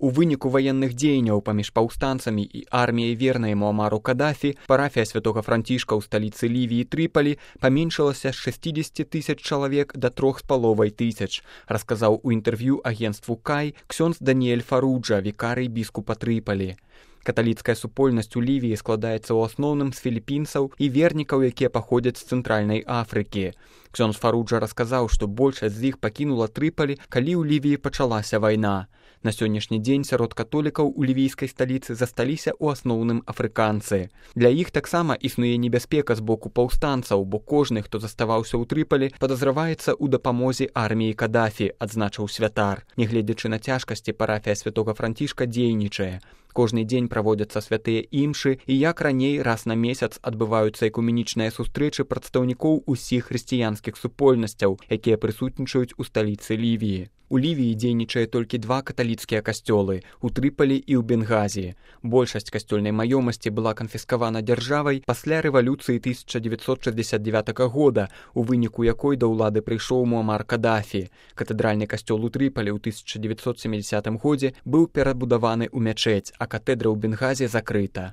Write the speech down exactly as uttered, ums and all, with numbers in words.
У выніку ваенных дзеянняў паміж паўстанцамі і арміяй вернай Муамару Кадафі парафія святога Францішка ў сталіцы Лівіі Трыполі паменшылася з шэсцідзесяці тысяч чалавек да трох з паловай тысяч, расказаў у інтэрв'ю агенцтву Кай ксёндз Даніэль Фаруджа, вікарый біскупа Трыполі. Каталіцкая супольнасць у Лівіі складаецца ў асноўным з філіпінцаў і вернікаў, якія паходзяць з цэнтральнай Афрыкі. Ксёндз Фаруджа расказаў, што большасць з іх пакінула Трыполі, калі ў Лівіі пачалася вайна. На сённяшні дзень сярод католікаў у лівійскай сталіцы засталіся ў асноўным афрыканцы. Для іх таксама існуе небяспека з боку паўстанцаў, бо кожны, хто заставаўся ў Трыполі, падазраваецца ў дапамозе арміі Кадафі, адзначыў святар. Нягледзячы на цяжкасці, парафія святога Францішка дзейнічае. Кожны дзень праводзяцца святыя імшы, і як раней раз на месяц адбываюцца экуменічныя сустрэчы прадстаўнікоў усіх хрысціянскіх супольнасцяў, якія прысутнічаюць у сталіцы Лівіі. У Лівіі дзейнічае толькі два каталіцкія касцёлы – у Трыполі і ў Бенгазі. Большасць касцёльнай маёмасці была канфіскавана дзяржавай пасля рэвалюцыі тысяча дзевяцьсот шэсцьдзесят дзевятага года, у выніку якой да ўлады прыйшоў Муамар Кадафі. Катэдральны касцёл у Трыполі ў тысяча дзевяцьсот сямідзясятым годзе быў перабудаваны ў мячэць, а катедра ў Бенгазе закрыта.